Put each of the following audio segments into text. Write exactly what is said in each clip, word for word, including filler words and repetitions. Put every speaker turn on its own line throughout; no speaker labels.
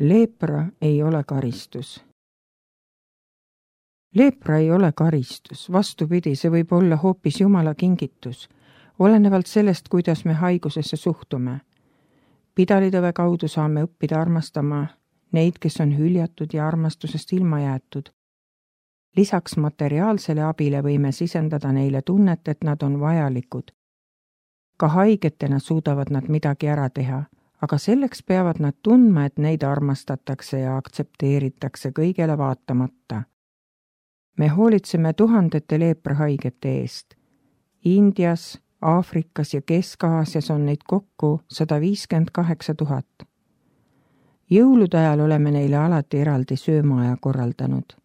Leepra ei ole karistus. Leepra ei ole karistus, vastupidi, see võib olla hoopis Jumala kingitus, olenevalt sellest, kuidas me haigusesse suhtume. Pidalitõve kaudu saame õppida armastama neid, kes on hüljatud ja armastusest ilma jäetud. Lisaks materiaalsele abile võime sisendada neile tunnet, et nad on vajalikud. Ka haigetena suudavad nad midagi ära teha, aga selleks peavad nad tundma, et neid armastatakse ja aktsepteeritakse kõigele vaatamata. Me hoolitseme tuhandete leeprahaigete eest. Indias, Aafrikas ja Kesk-Aasias on neid kokku sada viiskümmend kaheksa tuhat. Jõulude ajal oleme neile alati eraldi söömaaja korraldanud.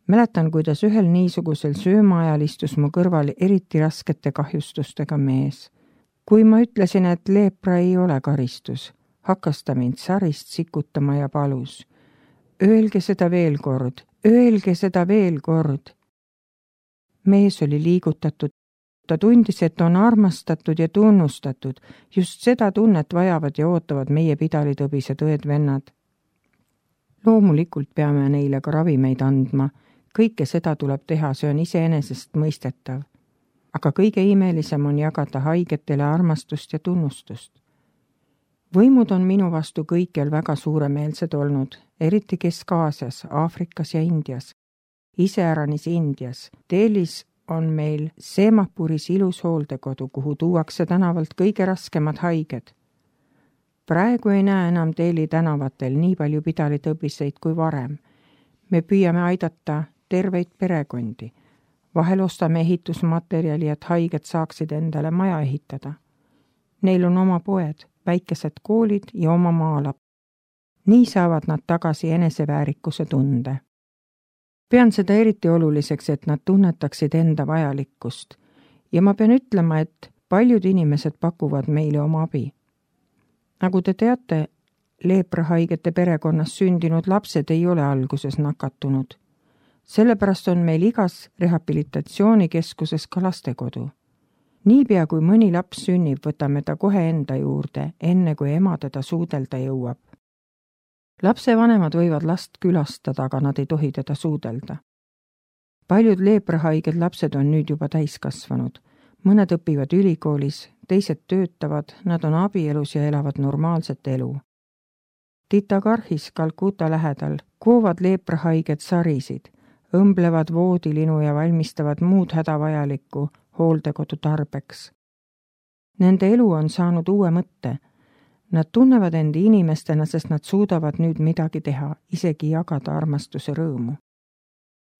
Mäletan, kuidas ühel niisugusel söömaajal istus mu kõrval eriti raskete kahjustustega mees. Kui ma ütlesin, et leepra ei ole karistus, hakkas ta mind sarist sikutama ja palus. Öelge seda veel kord, öelge seda veel kord. Mees oli liigutatud. Ta tundis, et on armastatud ja tunnustatud. Just seda tunnet vajavad ja ootavad meie pidalitõbised õed-vennad. Loomulikult peame neile ka ravimeid andma. Kõike seda tuleb teha, see on iseenesest mõistetav. Aga kõige imelisem on jagada haigetele armastust ja tunnustust. Võimud on minu vastu kõikjal väga suuremeelsed olnud, eriti Kesk-Aasias, Aafrikas ja Indias. Iseäranis Indias. Delhis on meil Semapuris ilus hooldekodu, kuhu tuuakse tänavalt kõige raskemad haiged. Praegu ei näe enam Delhi tänavatel nii palju pidalitõbiseid kui varem. Me püüame aidata terveid perekondi. Vahel ostame ehitusmaterjali, et haiged saaksid endale maja ehitada. Neil on oma poed, väikesed koolid ja oma maalap. Nii saavad nad tagasi eneseväärikuse tunde. Pean seda eriti oluliseks, et nad tunnetaksid enda vajalikkust. Ja ma pean ütlema, et paljud inimesed pakuvad meile oma abi. Nagu te teate, leeprahaigete perekonnas sündinud lapsed ei ole alguses nakatunud. Sellepärast on meil igas rehabilitatsioonikeskuses ka lastekodu. Niipea kui mõni laps sünnib, võtame ta kohe enda juurde, enne kui ema teda suudelda jõuab. Lapsevanemad võivad last külastada, aga nad ei tohi teda suudelda. Paljud leeprahaiged lapsed on nüüd juba täiskasvanud. Mõned õpivad ülikoolis, teised töötavad, nad on abielus ja elavad normaalset elu. Titagarhis Kalkuta lähedal koovad leeprahaiged sarisid, õmblevad voodilinu ja valmistavad muud hädavajalikku hooldekodu tarbeks. Nende elu on saanud uue mõtte. Nad tunnevad endi inimestena, sest nad suudavad nüüd midagi teha, isegi jagada armastuse rõõmu.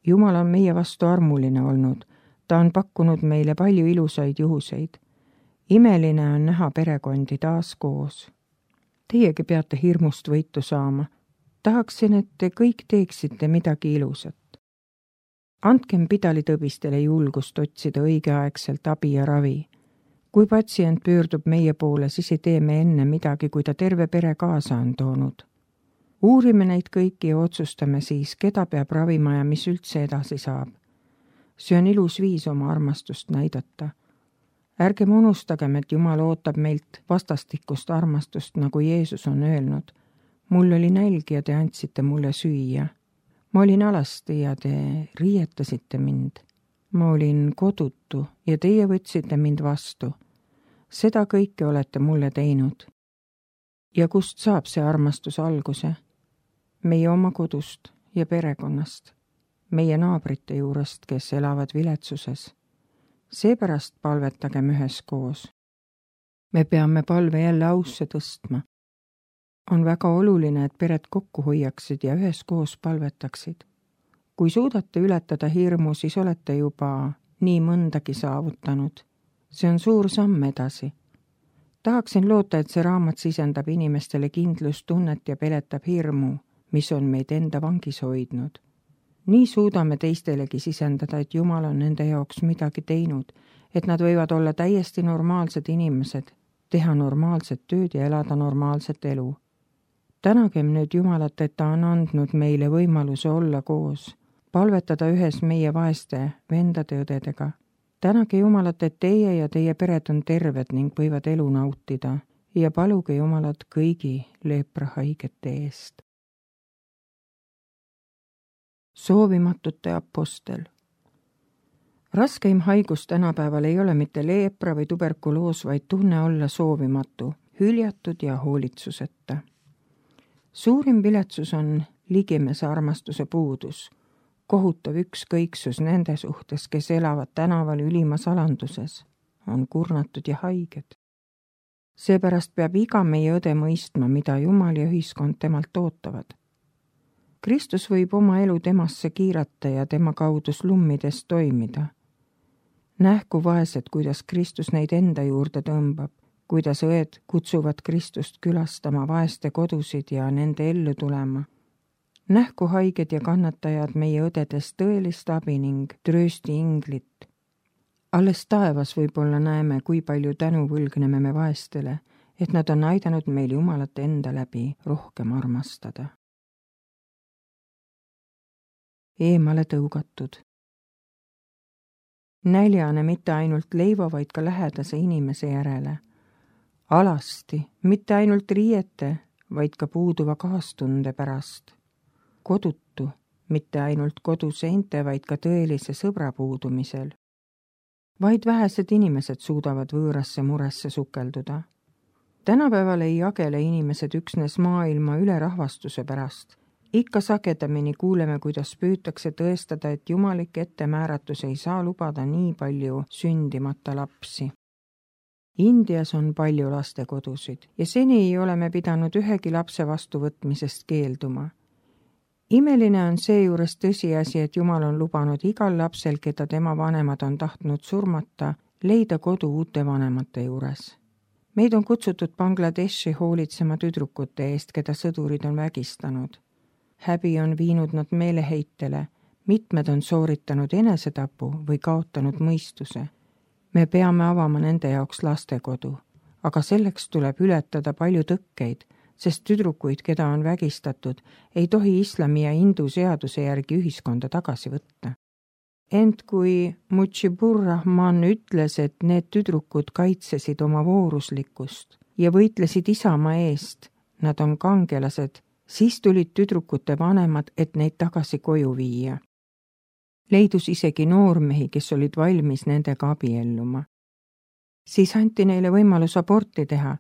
Jumal on meie vastu armuline olnud. Ta on pakkunud meile palju ilusaid juhuseid. Imeline on näha perekondi taas koos. Teiegi peate hirmust võitu saama. Tahaksin, et te kõik teeksite midagi ilusat. Andkem pidalitõbistele julgust otsida õigeaegselt abi ja ravi. Kui patsient pöördub meie poole, siis ei tee me enne midagi, kui ta terve pere kaasa on toonud. Uurime neid kõiki ja otsustame siis, keda peab ravima ja mis üldse edasi saab. See on ilus viis oma armastust näidata. Ärgem unustagem, et Jumal ootab meilt vastastikust armastust, nagu Jeesus on öelnud. Mul oli nälg ja te andsite mulle süüa. Ma olin alasti ja te riietasite mind. Ma olin kodutu ja teie võtsite mind vastu. Seda kõike olete mulle teinud. Ja kust saab see armastus alguse? Meie oma kodust ja perekonnast. Meie naabrite juurest, kes elavad viletsuses. Seepärast palvetagem üheskoos. Me peame palve jälle ausse tõstma. On väga oluline, et pered kokku hoiaksid ja üheskoos palvetaksid. Kui suudate ületada hirmu, siis olete juba nii mõndagi saavutanud. See on suur samm edasi. Tahaksin loota, et see raamat sisendab inimestele kindlustunnet ja peletab hirmu, mis on meid enda vangis hoidnud. Nii suudame teistelegi sisendada, et Jumal on nende jaoks midagi teinud, et nad võivad olla täiesti normaalsed inimesed, teha normaalset tööd ja elada normaalset elu. Tänagem nüüd Jumalat, et ta on andnud meile võimaluse olla koos, palvetada ühes meie vaeste vendade-õdedega. Tänage Jumalat, et teie ja teie pered on terved ning võivad elu nautida ja paluge Jumalat kõigi leeprahaigete eest. Soovimatute apostel. Raskeim haigus tänapäeval ei ole mitte leepra või tuberkuloos, vaid tunne olla soovimatu, hüljatud ja hoolitsuseta. Suurim viletsus on ligimese armastuse puudus, kohutav ükskõiksus nende suhtes, kes elavad tänaval ülimas alanduses, on kurnatud ja haiged. Seepärast peab iga meie õde mõistma, mida Jumal ja ühiskond temalt ootavad. Kristus võib oma elu temasse kiirata ja tema kaudu slummides toimida. Nähku vaesed, kuidas Kristus neid enda juurde tõmbab, kuidas õed kutsuvad Kristust külastama vaeste kodusid ja nende ellu tulema. Nähku haiged ja kannatajad meie õdedest tõelist abi ning tröösti inglit. Alles taevas võib-olla näeme, kui palju tänu võlgneme me vaestele, et nad on aidanud meil Jumalat enda läbi rohkem armastada. Eemale tõugatud. Näljane mitte ainult leiva, vaid ka lähedase inimese järele. Alasti, mitte ainult riiete, vaid ka puuduva kaastunde pärast. Kodutu, mitte ainult koduseinte, vaid ka tõelise sõbra puudumisel. Vaid vähesed inimesed suudavad võõrasse muresse sukelduda. Tänapäeval ei jagele inimesed üksnes maailma ülerahvastuse pärast. Ikka sagedamini kuuleme, kuidas püütakse tõestada, et jumalik ettemääratus ei saa lubada nii palju sündimata lapsi. Indias on palju lastekodusid ja seni ei ole me pidanud ühegi lapse vastuvõtmisest keelduma. Imeline on seejuures tõsiasi, et Jumal on lubanud igal lapsel, keda tema vanemad on tahtnud surmata, leida kodu uute vanemate juures. Meid on kutsutud Bangladeshi hoolitsema tüdrukute eest, keda sõdurid on vägistanud. Häbi on viinud nad meeleheitele, mitmed on sooritanud enesetapu või kaotanud mõistuse. Me peame avama nende jaoks lastekodu, aga selleks tuleb ületada palju tõkkeid, sest tüdrukuid, keda on vägistatud, ei tohi islami ja hindu seaduse järgi ühiskonda tagasi võtta. Ent kui Mujibur Rahman ütles, et need tüdrukud kaitsesid oma vooruslikkust ja võitlesid isamaa eest, nad on kangelased, siis tulid tüdrukute vanemad, et neid tagasi koju viia. Leidus isegi noormehi, kes olid valmis nendega abielluma. Siis anti neile võimalus aborti teha.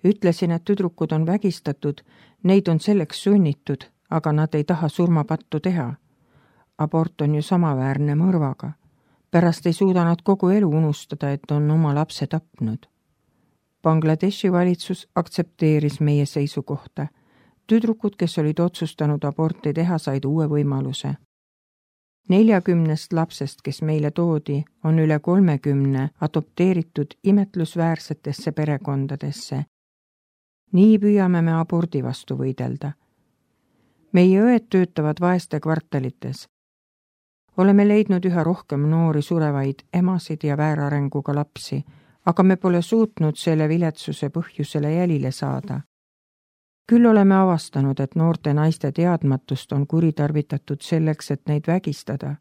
Ütlesin, et tüdrukud on vägistatud, neid on selleks sunnitud, aga nad ei taha surmapattu teha. Abort on ju samaväärne mõrvaga. Pärast ei suuda nad kogu elu unustada, et on oma lapse tapnud. Bangladeshi valitsus aktsepteeris meie seisukohta. Tüdrukud, kes olid otsustanud aborti teha, said uue võimaluse. Neljakümnest lapsest, kes meile toodi, on üle kolmekümne adopteeritud imetlusväärsetesse perekondadesse. Nii püüame me abordi vastu võidelda. Meie õed töötavad vaeste kvartalites. Oleme leidnud üha rohkem noori surevaid emasid ja väärarenguga lapsi, aga me pole suutnud selle viletsuse põhjusele jälile saada. Küll oleme avastanud, et noorte naiste teadmatust on kuritarvitatud selleks, et neid vägistada.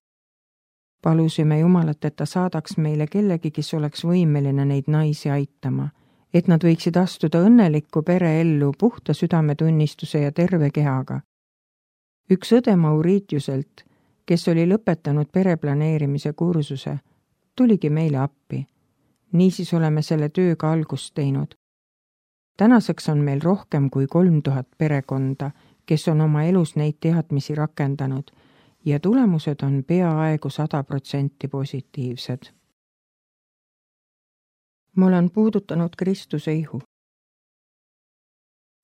Palusime Jumalat, et ta saadaks meile kellegi, kes oleks võimeline neid naisi aitama, et nad võiksid astuda õnnelikku pereellu puhta südametunnistuse ja terve kehaga. Üks õde Mauritiuselt, kes oli lõpetanud pereplaneerimise kursuse, tuligi meile appi. Niisiis oleme selle tööga algust teinud. Tänaseks on meil rohkem kui kolm tuhat perekonda, kes on oma elus neid teadmisi rakendanud ja tulemused on peaaegu sada protsenti positiivsed. Ma olen puudutanud Kristuse ihu.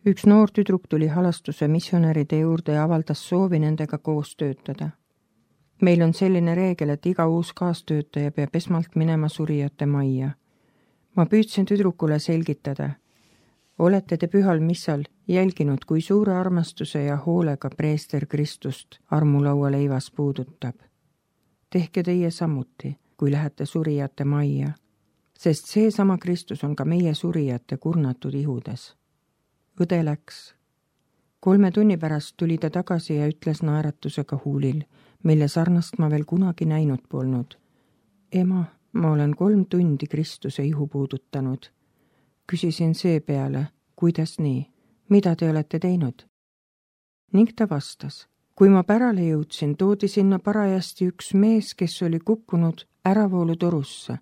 Üks noor tüdruk tuli halastuse missionäride juurde ja avaldas soovi nendega koos töötada. Meil on selline reegel, et iga uus kaastöötaja peab esmalt minema surijate majja. Ma püüdsin tüdrukule selgitada. Olete te pühal missal jälginud, kui suure armastuse ja hoolega preester Kristust armulaua leivas puudutab. Tehke teie samuti, kui lähete surijate majja, sest seesama Kristus on ka meie surijate kurnatud ihudes. Õde läks. Kolme tunni pärast tuli ta tagasi ja ütles naeratusega huulil, mille sarnast ma veel kunagi näinud polnud. Ema, ma olen kolm tundi Kristuse ihu puudutanud. Küsisin seepeale, kuidas nii, mida te olete teinud? Ning ta vastas, kui ma pärale jõudsin, toodi sinna parajasti üks mees, kes oli kukkunud äravoolutorusse.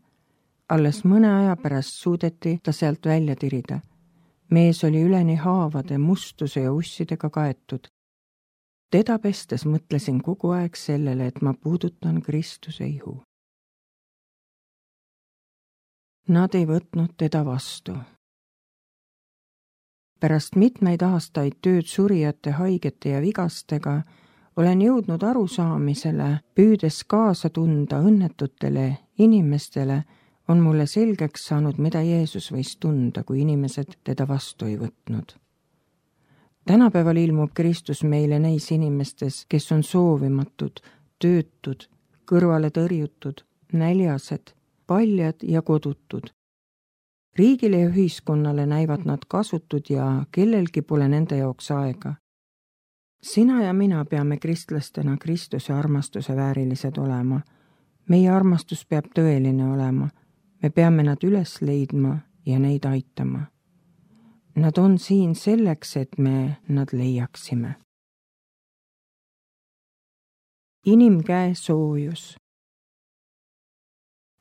Alles mõne aja pärast suudeti ta sealt välja tirida. Mees oli üleni haavade, mustuse ja ussidega kaetud. Teda pestes mõtlesin kogu aeg sellele, et ma puudutan Kristuse ihu. Nad ei võtnud teda vastu. Pärast mitmeid aastaid tööd surijate, haigete ja vigastega olen jõudnud arusaamisele, püüdes kaasa tunda õnnetutele inimestele, on mulle selgeks saanud, mida Jeesus võis tunda, kui inimesed teda vastu ei võtnud. Tänapäeval ilmub Kristus meile neis inimestes, kes on soovimatud, töötud, kõrvale tõrjutud, näljased, paljad ja kodutud. Riigile ja ühiskonnale näivad nad kasutud ja kellelgi pole nende jaoks aega. Sina ja mina peame kristlastena Kristuse armastuse väärilised olema. Meie armastus peab tõeline olema. Me peame nad üles leidma ja neid aitama. Nad on siin selleks, et me nad leiaksime. Inimkäe soojus.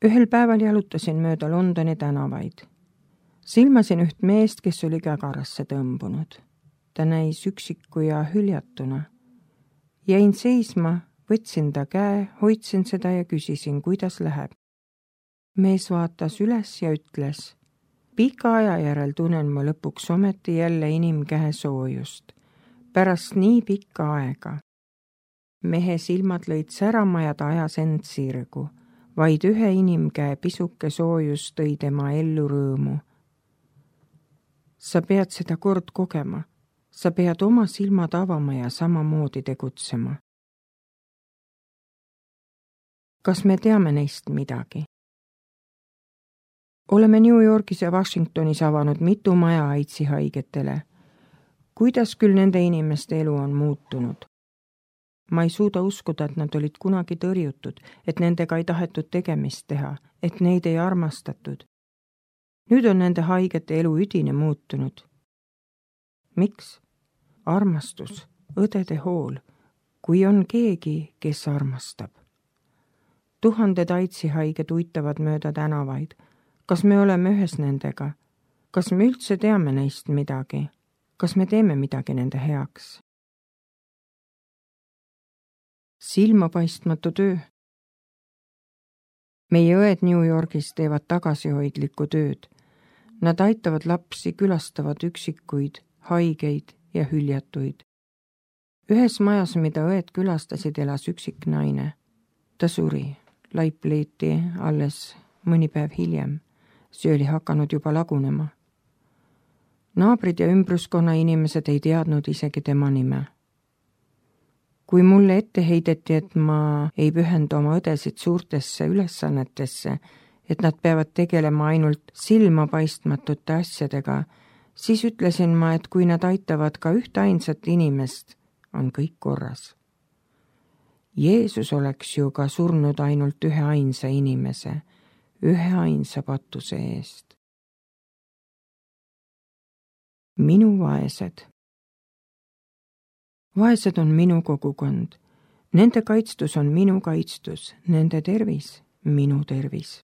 Ühel päeval jalutasin mööda Londoni tänavaid. Silmasin üht meest, kes oli kägarasse tõmbunud. Ta näis üksiku ja hüljatuna. Jäin seisma, võtsin ta käe, hoidsin seda ja küsisin, kuidas läheb. Mees vaatas üles ja ütles, pika aja järel tunnen ma lõpuks ometi jälle inimkäe soojust. Pärast nii pikka aega. Mehe silmad lõid särama ja ta ajas end sirgu. Vaid ühe inimkäe pisuke soojus tõi tema ellu rõõmu. Sa pead seda kord kogema. Sa pead oma silmad avama ja samamoodi tegutsema. Kas me teame neist midagi? Oleme New Yorgis ja Washingtonis avanud mitu maja AIDSi haigetele. Kuidas küll nende inimeste elu on muutunud? Ma ei suuda uskuda, et nad olid kunagi tõrjutud, et nendega ei tahetud tegemist teha, et neid ei armastatud. Nüüd on nende haigete elu üdine muutunud. Miks? Armastus, õdede hool, kui on keegi, kes armastab. Tuhanded AIDSi haiged uitavad mööda tänavaid. Kas me oleme ühes nendega? Kas me üldse teame neist midagi? Kas me teeme midagi nende heaks? Silmapaistmatu töö. Meie õed New Yorgis teevad tagasihoidlikku tööd. Nad aitavad lapsi, külastavad üksikuid, haigeid ja hüljatuid. Ühes majas, mida õed külastasid, elas üksik naine. Ta suri, laip leiti alles mõni päev hiljem. See oli hakanud juba lagunema. Naabrid ja ümbruskonna inimesed ei teadnud isegi tema nime. Kui mulle ette heideti, et ma ei pühenda oma õdesid suurtesse ülesannetesse, et nad peavad tegelema ainult silmapaistmatute asjadega, siis ütlesin ma, et kui nad aitavad ka ühte ainsat inimest, on kõik korras. Jeesus oleks ju ka surnud ainult ühe ainsa inimese, ühe ainsa patuse eest. Minu vaesed. Vaesed on minu kogukond. Nende kaitstus on minu kaitstus, nende tervis, minu tervis.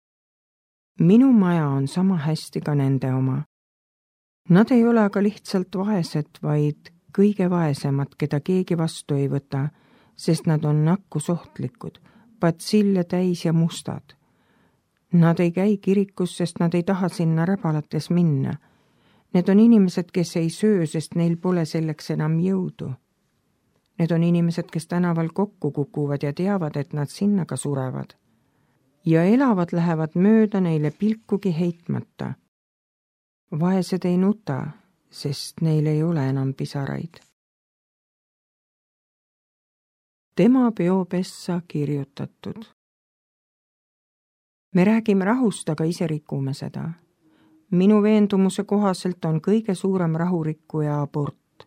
Minu maja on sama hästi ka nende oma. Nad ei ole aga lihtsalt vaesed, vaid kõige vaesemad, keda keegi vastu ei võta, sest nad on nakkusohtlikud, patsille täis ja mustad. Nad ei käi kirikus, sest nad ei taha sinna räbalates minna. Need on inimesed, kes ei söö, sest neil pole selleks enam jõudu. Need on inimesed, kes tänaval kokku kukuvad ja teavad, et nad sinna ka surevad. Ja elavad lähevad mööda neile pilkugi heitmata. Vaesed ei nuta, sest neil ei ole enam pisaraid. Tema peopessa kirjutatud. Me räägime rahust, aga ise rikume seda. Minu veendumuse kohaselt on kõige suurem rahurikkuja abort,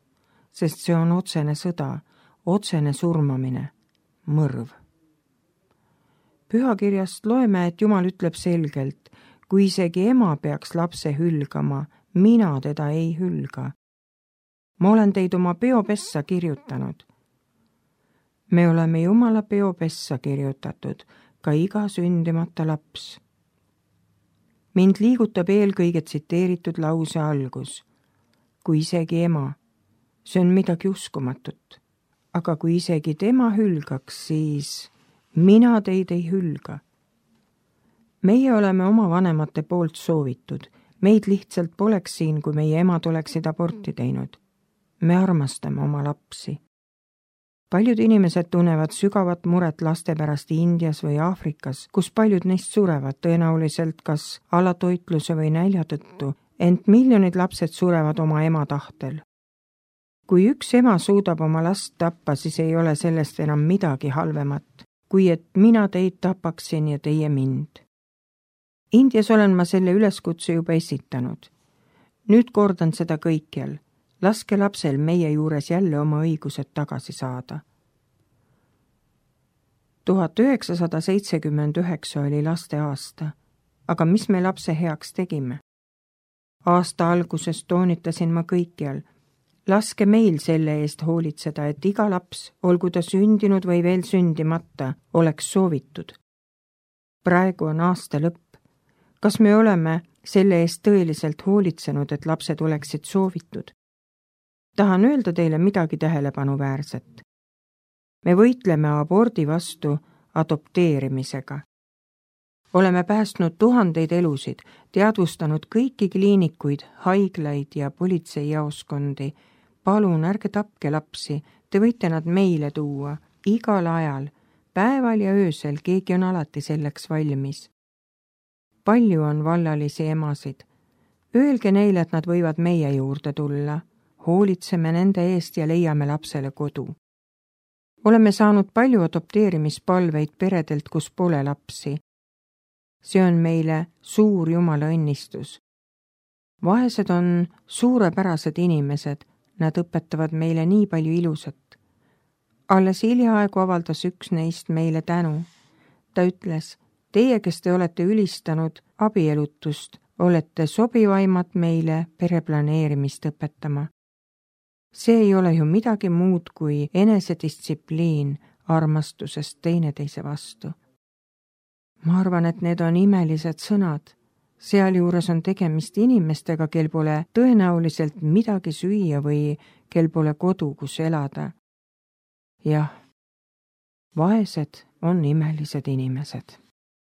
sest see on otsene sõda, otsene surmamine, mõrv. Pühakirjast loeme, et Jumal ütleb selgelt, kui isegi ema peaks lapse hülgama, mina teda ei hülga. Ma olen teid oma peopessa kirjutanud. Me oleme Jumala peopessa kirjutatud, ka iga sündimata laps. Mind liigutab eelkõige tsiteeritud lause algus. Kui isegi ema, see on midagi uskumatut. Aga kui isegi tema hülgaks, siis mina teid ei hülga. Meie oleme oma vanemate poolt soovitud. Meid lihtsalt poleks siin, kui meie emad oleksid aborti teinud. Me armastame oma lapsi. Paljud inimesed tunnevad sügavat muret laste pärast Indias või Aafrikas, kus paljud neist surevad tõenäoliselt kas alatoitluse või nälja tõttu, ent miljonid lapsed surevad oma ema tahtel. Kui üks ema suudab oma last tappa, siis ei ole sellest enam midagi halvemat, kui et mina teid tapaksin ja teie mind. Indias olen ma selle üleskutse juba esitanud. Nüüd kordan seda kõikjal. Laske lapsel meie juures jälle oma õigused tagasi saada. tuhat üheksasada seitsekümmend üheksa oli laste aasta, aga mis me lapse heaks tegime? Aasta alguses toonitasin ma kõikjal. Laske meil selle eest hoolitseda, et iga laps, olgu ta sündinud või veel sündimata, oleks soovitud. Praegu on aasta lõpp. Kas me oleme selle eest tõeliselt hoolitsenud, et lapsed oleksid soovitud? Tahan öelda teile midagi tähelepanuväärset. Me võitleme abordi vastu adopteerimisega. Oleme päästnud tuhandeid elusid, teadvustanud kõiki kliinikuid, haiglaid ja politseijaoskondi. Palun, ärge tapke lapsi, te võite nad meile tuua, igal ajal, päeval ja öösel, keegi on alati selleks valmis. Palju on vallalisi emasid. Öelge neile, et nad võivad meie juurde tulla. Hoolitseme nende eest ja leiame lapsele kodu. Oleme saanud palju adopteerimispalveid peredelt, kus pole lapsi. See on meile suur Jumala õnnistus. Vaesed on suurepärased inimesed, nad õpetavad meile nii palju ilusat. Alles hiljaaegu avaldas üks neist meile tänu. Ta ütles, teie, kes te olete ülistanud abielutust, olete sobivaimad meile pereplaneerimist õpetama. See ei ole ju midagi muud kui enesedistsipliin armastusest teineteise vastu. Ma arvan, et need on imelised sõnad. Sealjuures on tegemist inimestega, kel pole tõenäoliselt midagi süüa või kel pole kodu, kus elada. Jah, vaesed on imelised inimesed.